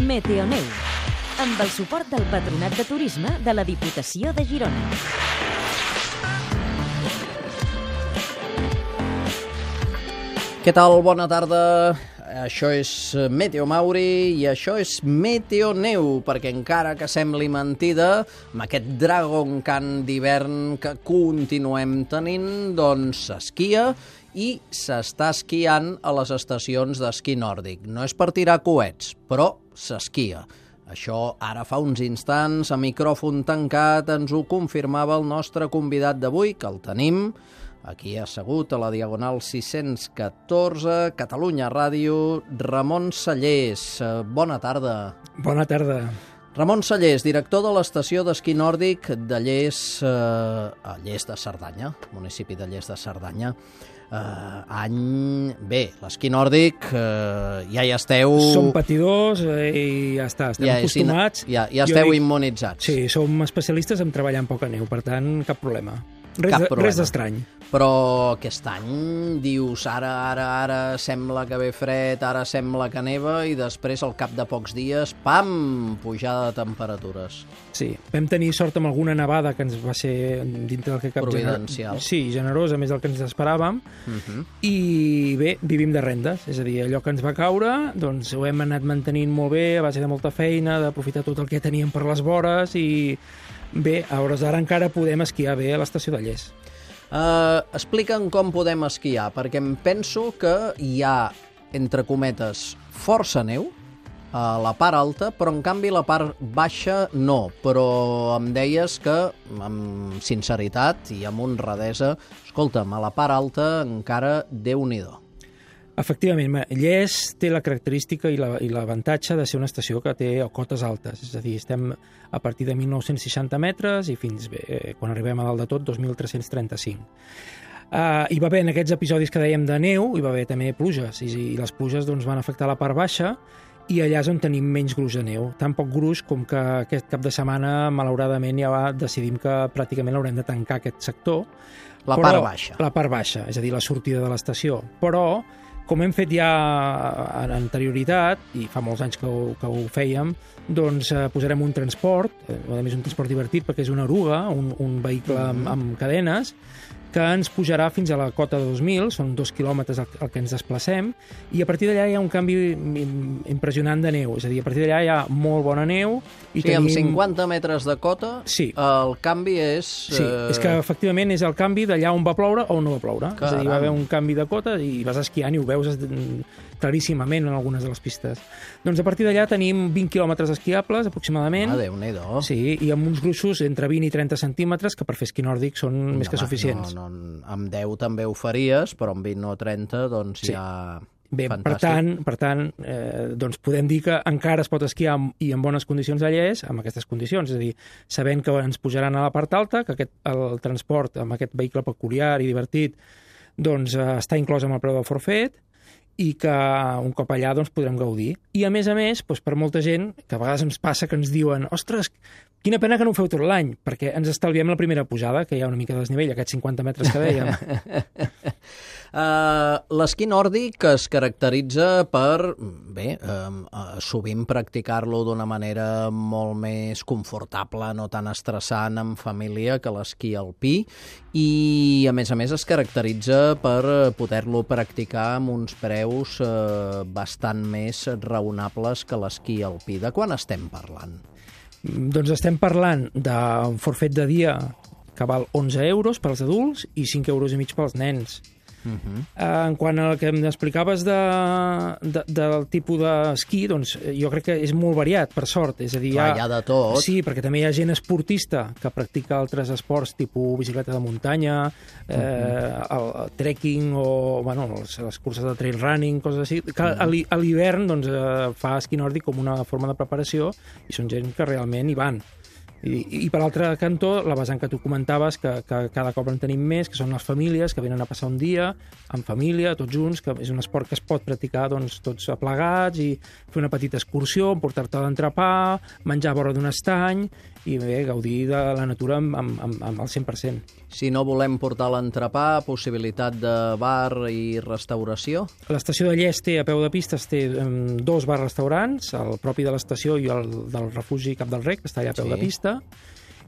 Meteoneu, amb el suport del Patronat de Turisme de la Diputació de Girona. Què tal? Bona tarda. Això és Meteo Mauri i això és Meteoneu, perquè encara que sembli mentida, amb aquest Dragon Khan d'hivern que continuem tenint, doncs s'esquia i s'està esquiant a les estacions d'esquí nòrdic. No és per tirar coets, però s'esquia. Això ara fa uns instants, a micròfon tancat, ens ho confirmava el nostre convidat d'avui, que el tenim aquí assegut a la Diagonal 614, Catalunya Ràdio, Ramon Cellers. Bona tarda. Bona tarda. Ramon Cellers, director de l'estació d'esquí nòrdic de Lles, a Lles de Cerdanya, municipi de Lles de Cerdanya. Bé, l'esquí nòrdic ja hi esteu... Som patidors i ja està, estem acostumats. Ja esteu immunitzats. Sí, som especialistes en treballar amb poca neu, per tant, cap problema. Res d'estrany. Però aquest any dius ara sembla que ve fred, ara sembla que neva i després al cap de pocs dies, pam, pujada de temperatures. Sí, vam tenir sort amb alguna nevada que ens va ser dintre del que cap... Providencial. Sí, generosa, més del que ens esperàvem. I bé, vivim de rendes, és a dir, allò que ens va caure, doncs ho hem anat mantenint molt bé, a base de molta feina, d'aprofitar tot el que teníem per les vores i bé, a hores d'ara encara podem esquiar bé a l'estació de Lles. Explica'm com podem esquiar, perquè em penso que hi ha, entre cometes, força neu a la part alta, però en canvi la part baixa no. Però em deies que, amb sinceritat i amb honradesa, escolta'm, a la part alta encara Déu-n'hi-do. Efectivament, Lles té la característica i l'avantatge de ser una estació que té cotes altes, és a dir, estem a partir de 1.960 metres i fins, quan arribem a dalt de tot, 2.335. Hi va haver en aquests episodis que dèiem de neu, hi va haver també pluges, i les pluges doncs, van afectar la part baixa, i allà és on tenim menys gruix de neu. Tan poc gruix com que aquest cap de setmana, malauradament, ja decidim que pràcticament l'haurem de tancar aquest sector. Part baixa. La part baixa, és a dir, la sortida de l'estació. Però com hem fet ja en anterioritat, i fa molts anys que ho fèiem, doncs posarem un transport, a més un transport divertit perquè és una oruga, un vehicle amb cadenes, que ens pujarà fins a la cota de 2.000, són 2 quilòmetres el que ens desplacem, i a partir d'allà hi ha un canvi impressionant de neu, és a dir, a partir d'allà hi ha molt bona neu. I amb 50 metres de cota, sí, el canvi és... Sí, és que efectivament és el canvi d'allà on va ploure o on no va ploure. Caram. És a dir, va haver un canvi de cota i vas esquiant i ho veus claríssimament en algunes de les pistes. Doncs a partir d'allà tenim 20 quilòmetres esquiables, aproximadament. Déu-n'hi-do. Sí, i amb uns gruixos entre 20 i 30 centímetres, que per fer esquí nòrdic són més que suficients. Amb 10 també ho faries, però amb 20 o 30, doncs sí. Ja... Bé, fantàstic. per tant, doncs podem dir que encara es pot esquiar i en bones condicions a Lles, amb aquestes condicions, és a dir, sabent que ens pujaran a la part alta, que el transport amb aquest vehicle peculiar i divertit doncs, està inclòs amb el preu del forfet, i que un cop allà doncs, podrem gaudir. I a més, doncs, per molta gent, que a vegades ens passa que ens diuen ostres, quina pena que no ho feu tot l'any, perquè ens estalviem la primera pujada, que hi ha una mica de desnivell, aquests 50 metres que dèiem. L'esquí nòrdic es caracteritza per, sovint practicar-lo d'una manera molt més confortable, no tan estressant en família que l'esquí alpí, i a més es caracteritza per poder-lo practicar amb uns preus bastant més raonables que l'esquí alpí. De quan estem parlant? Doncs estem parlant d'un forfet de dia que val 11 euros pels adults i 5,5 euros pels nens. En quant al que m'explicaves del tipus d'esquí, doncs jo crec que és molt variat, per sort. És a dir, hi ha de tot. Sí, perquè també hi ha gent esportista que practica altres esports, tipus bicicleta de muntanya, el trekking o les curses de trail running, coses així, que a l'hivern doncs, fa esquí nòrdic com una forma de preparació i són gent que realment hi van. I per l'altre cantó, la vessant que tu comentaves, que cada cop en tenim més, que són les famílies que venen a passar un dia en família, tots junts, que és un esport que es pot practicar doncs, tots aplegats i fer una petita excursió, portar-te a l'entrepà, menjar a vora d'un estany i bé, gaudir de la natura amb el 100%. Si no volem portar l'entrepà, possibilitat de bar i restauració? L'estació de Lles té, a peu de pistes, té 2 bars-restaurants, el propi de l'estació i el del refugi Cap del Rec, que està allà a peu de pista,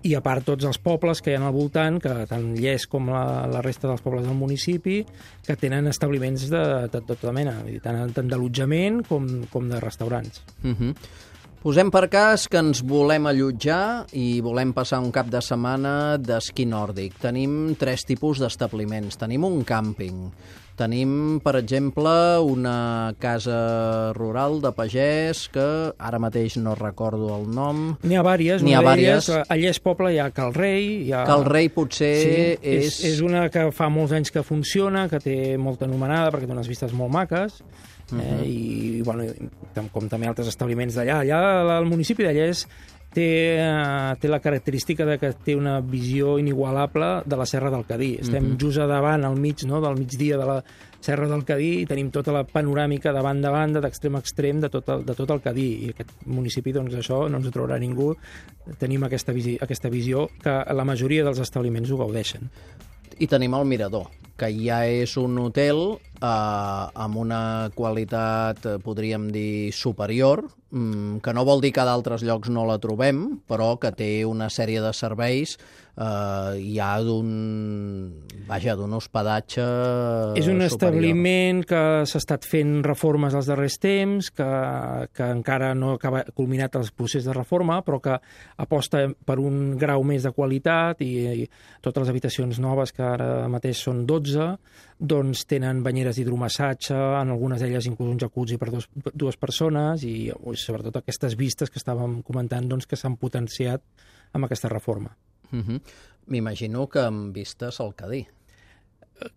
i a part tots els pobles que hi ha al voltant, que tant Lles com la resta dels pobles del municipi, que tenen establiments de tota mena, tant d'allotjament com de restaurants. Posem per cas que ens volem allotjar i volem passar un cap de setmana d'esquí nòrdic. Tenim 3 tipus d'establiments. Tenim un càmping, tenim, per exemple, una casa rural de pagès que ara mateix no recordo el nom. N'hi ha vàries. A Lles Poble hi ha Cal Rei. Cal Rei potser és una que fa molts anys que funciona, que té molta anomenada perquè té unes vistes molt maques. I bueno, com també altres establiments d'allà. Allà el municipi de Lles té la característica de que té una visió inigualable de la Serra del Cadí. Estem just a davant, al mig, no?, del migdia de la Serra del Cadí, i tenim tota la panoràmica de banda a banda, d'extrem a extrem, de tot el Cadí. I aquest municipi, doncs, això no ens ho trobarà ningú. Tenim aquesta visió que la majoria dels establiments ho gaudeixen. I tenim el Mirador, que ja és un hotel amb una qualitat, podríem dir, superior, que no vol dir que a d'altres llocs no la trobem, però que té una sèrie de serveis ja d'un hospedatge és un superior. establiment que s'ha estat fent reformes als darrers temps, que encara no ha culminat el procés de reforma, però que aposta per un grau més de qualitat i totes les habitacions noves, que ara mateix són 12, doncs tenen banyeres d'hidromassatge, en algunes d'elles inclús un jacuzzi per dues persones i sobretot aquestes vistes que estàvem comentant doncs, que s'han potenciat amb aquesta reforma. M'imagino que amb vistes al Cadí.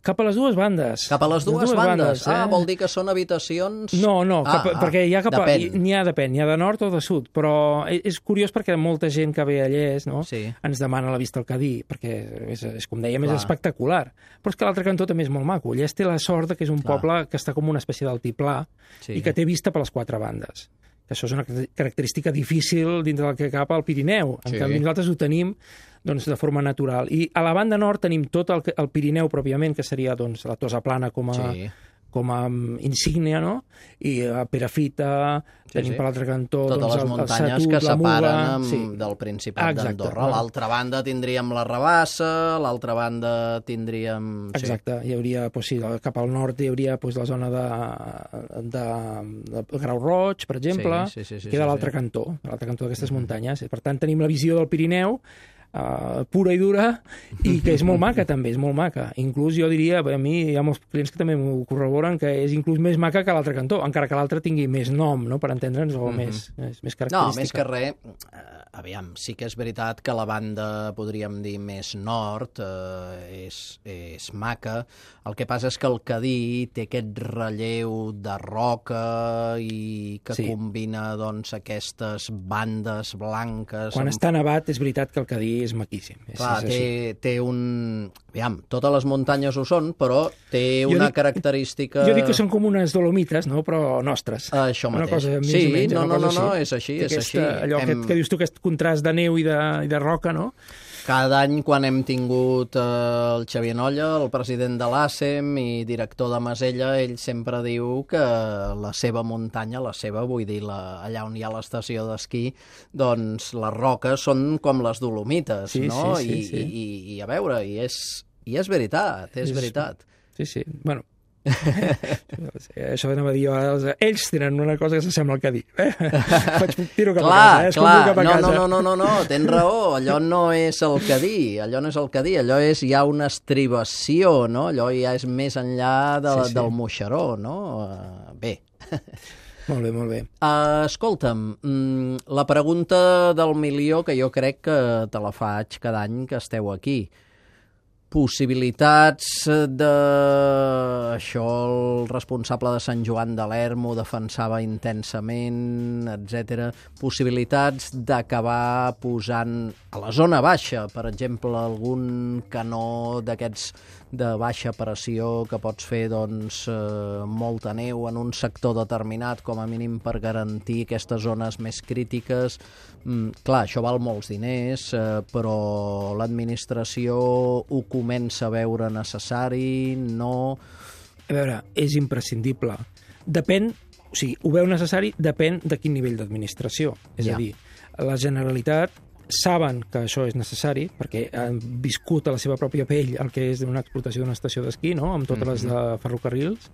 Cap a les dues bandes. Cap a les dues bandes? Vol dir que són habitacions... No, perquè n'hi ha depèn. N'hi ha de nord o de sud, però és curiós perquè molta gent que ve a Lles, no?, ens demana la vista al Cadí, perquè és com dèiem, és espectacular. Però és que l'altre cantó també és molt maco. Lles té la sort que és un poble que està com una espècie d'altiplà i que té vista per les 4 bandes. Això és una característica difícil dintre del que cap al Pirineu. En canvi, nosaltres ho tenim doncs, de forma natural. I a la banda nord tenim tot el Pirineu pròpiament, que seria doncs, la Tosa Plana com a insígnia, no? I a Perafita, tenim per l'altre cantó... Totes les muntanyes que separen del Principat d'Andorra. A l'altra banda tindríem la Rabassa, a l'altra banda tindríem... Exacte, hi hauria, cap al nord hi hauria la zona de Grau Roig, per exemple, que de l'altre cantó d'aquestes muntanyes. Per tant, tenim la visió del Pirineu, pura i dura, i que és molt maca també, és molt maca. Inclús jo diria, a mi hi ha molts clients que també m'ho corroboren, que és inclús més maca que l'altre cantó, encara que l'altre tingui més nom, no?, per entendre'ns, o més característica. No, més que res, aviam, sí que és veritat que la banda, podríem dir, més nord és maca. El que passa és que el Cadí té aquest relleu de roca i que combina doncs, aquestes bandes blanques... Quan està nevat és veritat que el Cadí és maquíssim. Clar, té un... Aviam, totes les muntanyes ho són, però té una característica... Jo dic que són com unes dolomites, no?, però nostres. Això mateix. Una cosa més o menys. No, és així, és així. Allò que dius tu, aquest contrast de neu i de roca, no? Cada any, quan hem tingut el Xavier Nolla, el president de l'ASEM i director de Masella, ell sempre diu que la seva muntanya, vull dir, allà on hi ha l'estació d'esquí, doncs les roques són com les dolomites, no? I a veure, i és veritat, és veritat. Sí, bueno... Això anava a dir, ells tenen una cosa que s'assembla al Cadí. Faig tiro cap a casa, escombro cap a casa. No, tens raó, allò no és el Cadí, allò és ja una estribació, no? Allò ja és més enllà del Moixeró, no? Bé. Molt bé. Escolta'm, la pregunta del milió, que jo crec que te la faig cada any que esteu aquí. Possibilitats de... Això el responsable de Sant Joan de l'Erm ho defensava intensament, etc. Possibilitats d'acabar posant a la zona baixa, per exemple, algun canó d'aquests de baixa pressió que pots fer doncs, molta neu en un sector determinat, com a mínim per garantir aquestes zones més crítiques. Clar, això val molts diners, però l'administració ho comença a veure necessari, no... A veure, és imprescindible. Depèn, o sigui, ho veu necessari, depèn de quin nivell d'administració. És a dir, la Generalitat saben que això és necessari, perquè han viscut a la seva pròpia pell el que és una explotació d'una estació d'esquí, no?, amb totes les de ferrocarrils,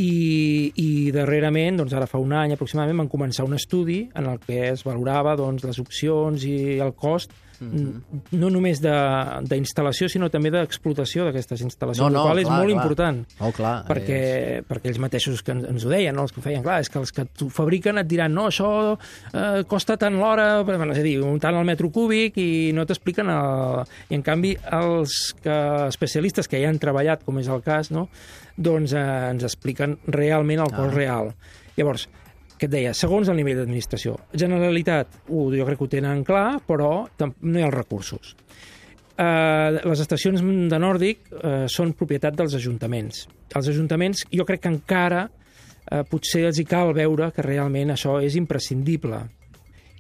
i darrerament, doncs ara fa un any aproximadament, van començar un estudi en el que es valorava doncs, les opcions i el cost, no només d'instal·lació, sinó també d'explotació d'aquestes instal·lacions, el qual és molt important, perquè ells mateixos que ens ho deien, no? Els que ho feien, clar, és que els que ho fabriquen et diran, no, això costa tant l'hora, és a dir, tant el metro cúbic, i no t'expliquen I en canvi, els especialistes que ja han treballat, com és el cas, no?, doncs ens expliquen realment el cost real. Llavors, què et deia? Segons el nivell d'administració. Generalitat, jo crec que ho tenen clar, però no hi ha els recursos. Les estacions de Nòrdic són propietat dels ajuntaments. Els ajuntaments, jo crec que encara potser els hi cal veure que realment això és imprescindible.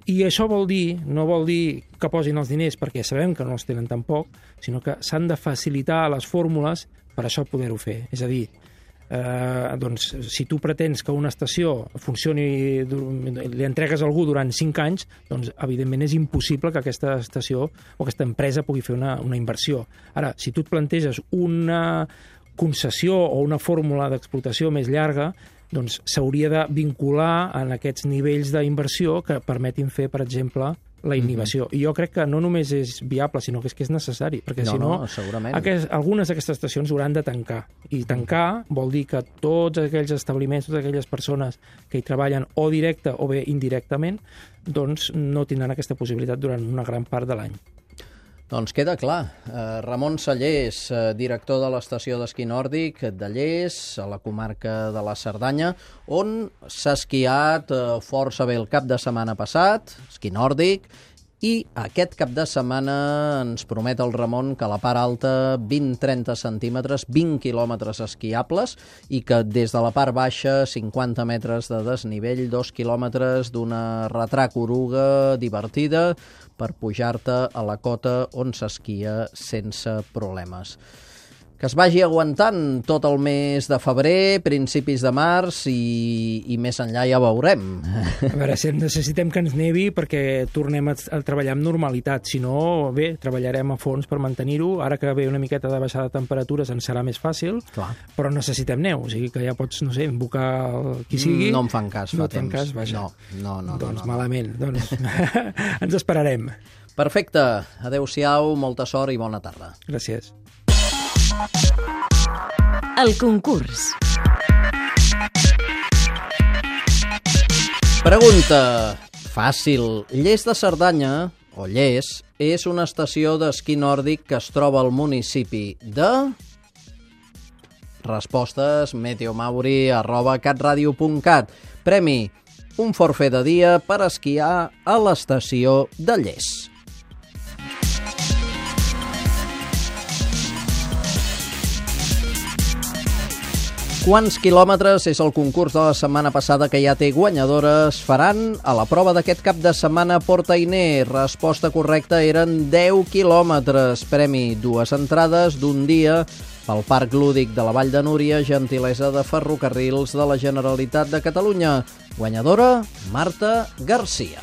I això no vol dir que posin els diners perquè sabem que no els tenen tampoc, sinó que s'han de facilitar les fórmules per això poder-ho fer. És a dir, doncs, si tu pretens que una estació funcioni, li entregues a algú durant 5 anys, doncs evidentment és impossible que aquesta estació o aquesta empresa pugui fer una inversió. Ara, si tu et planteges una concessió o una fórmula d'explotació més llarga, doncs s'hauria de vincular en aquests nivells d'inversió que permetin fer, per exemple, la inhibició. I jo crec que no només és viable, sinó que és necessari, perquè si no, algunes d'aquestes estacions hauran de tancar. I tancar vol dir que tots aquells establiments, totes aquelles persones que hi treballen o directe o bé indirectament, doncs no tindran aquesta possibilitat durant una gran part de l'any. Doncs queda clar. Ramon Sallés, director de l'estació d'esquí nòrdic de Lles, a la comarca de la Cerdanya, on s'ha esquiat força bé el cap de setmana passat, esquí nòrdic, i aquest cap de setmana ens promet el Ramon que a la part alta 20-30 centímetres, 20 quilòmetres esquiables, i que des de la part baixa 50 metres de desnivell, 2 quilòmetres d'una retrac oruga divertida per pujar-te a la cota on s'esquia sense problemes. Que es vagi aguantant tot el mes de febrer, principis de març i més enllà ja veurem. A veure, si necessitem que ens nevi perquè tornem a treballar amb normalitat. Si no, bé, treballarem a fons per mantenir-ho. Ara que ve una miqueta de baixada de temperatures ens serà més fàcil, però necessitem neu. O sigui que ja pots, no sé, invocar qui sigui. No em fan cas, fa temps. No em fan cas, vaja. No. Doncs malament. Doncs ens esperarem. Perfecte. Adéu-siau, molta sort i bona tarda. Gràcies. El concurs. Pregunta fàcil. Lles de Cerdanya, o Lles, és una estació d'esquí nòrdic que es troba al municipi de... Respostes meteomauri@catradio.cat. Premi: un forfait de dia per esquiar a l'estació de Lles. Quants quilòmetres és el concurs de la setmana passada que ja té guanyadores? Faran a la prova d'aquest cap de setmana a Portainer. Resposta correcta eren 10 quilòmetres. Premi: 2 entrades d'un dia pel Parc Lúdic de la Vall de Núria, gentilesa de Ferrocarrils de la Generalitat de Catalunya. Guanyadora: Marta Garcia.